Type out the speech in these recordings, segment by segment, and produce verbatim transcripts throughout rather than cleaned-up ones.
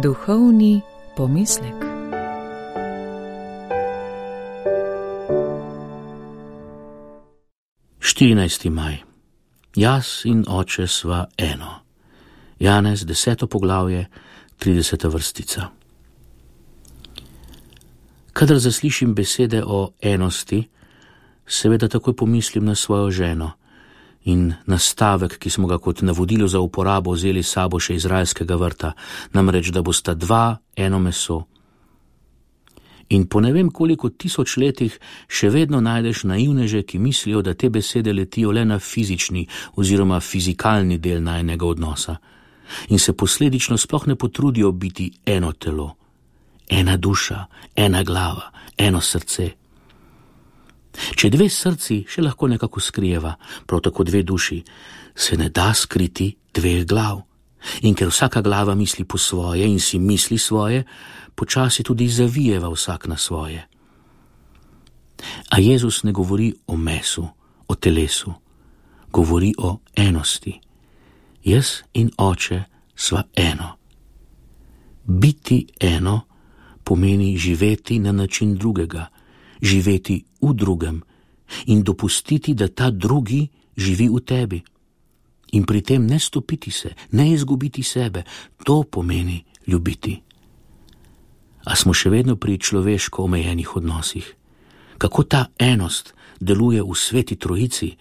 Duhovni pomislek. štirinajsti maj. Jaz in oče sva eno. Janez, deseto poglavje, trideseta vrstica. Kadar zaslišim besede o enosti, seveda takoj pomislim na svojo ženo in na stavek, ki smo ga kot navodilo za uporabo vzeli s sabo še izraelskega vrta, namreč, da bosta dva eno meso. In po ne vem koliko tisoč letih še vedno najdeš naivneže, ki mislijo, da te besede letijo le na fizični oziroma fizikalni del najnega odnosa in se posledično sploh ne potrudijo biti eno telo, ena duša, ena glava, eno srce. Če dve srci še lahko nekako skrijeva, prav tako dve duši, se ne da skriti dveh glav. In ker vsaka glava misli po svoje in si misli svoje, počasi tudi zavijeva vsak na svoje. A Jezus ne govori o mesu, o telesu, govori o enosti. Jaz in oče sva eno. Biti eno pomeni živeti na način drugega, živeti v drugem in dopustiti, da ta drugi živi v tebi. In pri tem ne stopiti se, ne izgubiti sebe, to pomeni ljubiti. A smo še vedno pri človeško omejenih odnosih. Kako ta enost deluje v sveti trojici,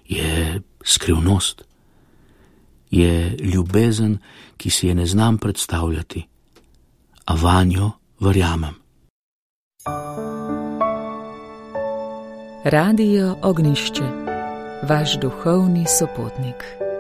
je skrivnost. Je ljubezen, ki si je ne znam predstavljati, a vanjo verjamem. Radio Ognjišče, vaš duhovni sopotnik.